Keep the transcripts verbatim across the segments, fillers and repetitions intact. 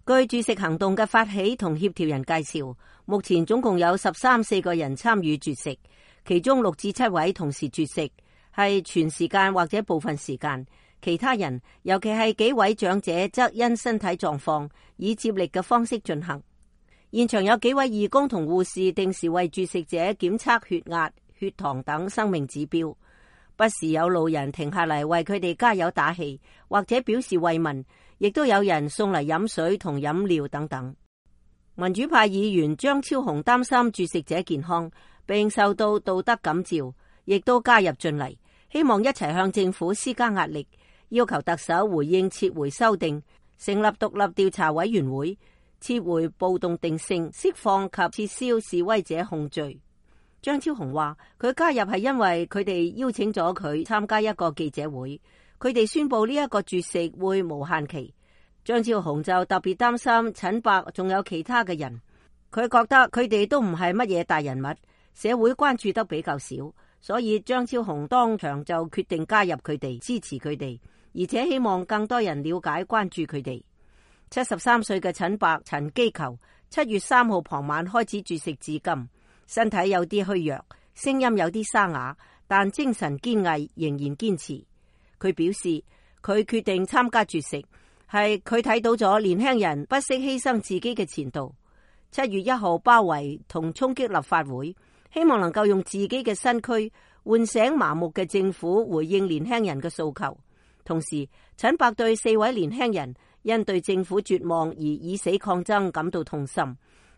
據絕食行動嘅發起同協調人介紹，目前總共有十三四個人參與絕食，其中六至七位同時絕食，係全時間或者部分時間。其他人，尤其係幾位長者，則因身體狀況以接力嘅方式進行。現場有幾位義工同護士定時為絕食者檢測血壓、血糖等生命指標，不時有路人停下嚟為佢哋加油打氣，或者表示慰問，亦都有人送嚟飲水同飲料等等。民主派議員張超雄擔心絕食者健康，並受到道德感召，亦都加入進嚟，希望一齊向政府施加壓力，要求特首回應撤回修訂，成立獨立調查委員會，撤回暴動定性，釋放及撤銷示威者控罪。張超雄話佢加入係因為佢哋邀請咗佢參加一個記者會，佢哋宣布呢一個絕食會無限期。張超雄就特別擔心陳伯仲有其他嘅人，佢覺得佢哋都唔係乜嘢大人物，社會關注得比較少，所以張超雄當場就決定加入佢哋，支持佢哋，而且希望更多人了解關注佢哋。七十三歲嘅陳伯陳基球七月三號傍晚開始絕食至今，身體有啲虛弱，聲音有啲沙啞，但精神堅毅，仍然堅持。佢表示佢決定參加絕食係佢睇到咗年輕人不惜犧牲自己嘅前途。七月一號包圍同衝擊立法會，希望能夠用自己嘅身軀喚醒麻木嘅政府，回應年輕人嘅訴求。同時，陳伯對四位年輕人因對政府絕望而以死抗爭感到痛心，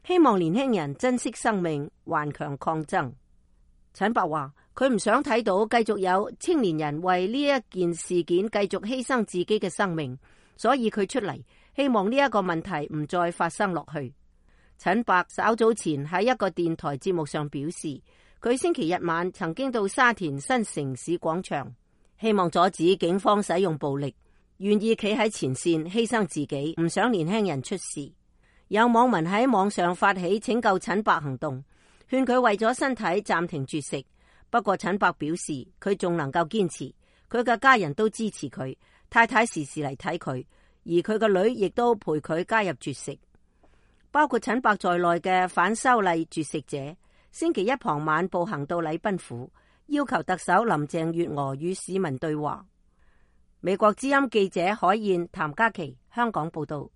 希望年輕人珍惜生命，頑強抗爭。陳伯話佢唔想睇到繼續有青年人為呢一件事件繼續犧牲自己嘅生命，所以佢出嚟希望呢一個問題唔再發生落去。陳伯稍早前喺一個電台節目上表示，佢星期日晚曾經到沙田新城市廣場，希望阻止警方使用暴力，願意企喺前線犧牲自己，唔想年輕人出事。有網民喺網上發起拯救陳伯行動，勸佢為咗身體暫停絕食。不過陳伯表示佢仲能夠堅持，佢嘅家人都支持佢，太太時時嚟睇佢，而佢個女亦都陪佢加入絕食。包括陳伯在內嘅反修例絕食者，星期一傍晚步行到禮賓府，要求特首林鄭月娥與市民對話。美國之音記者海燕、譚嘉琪香港報道。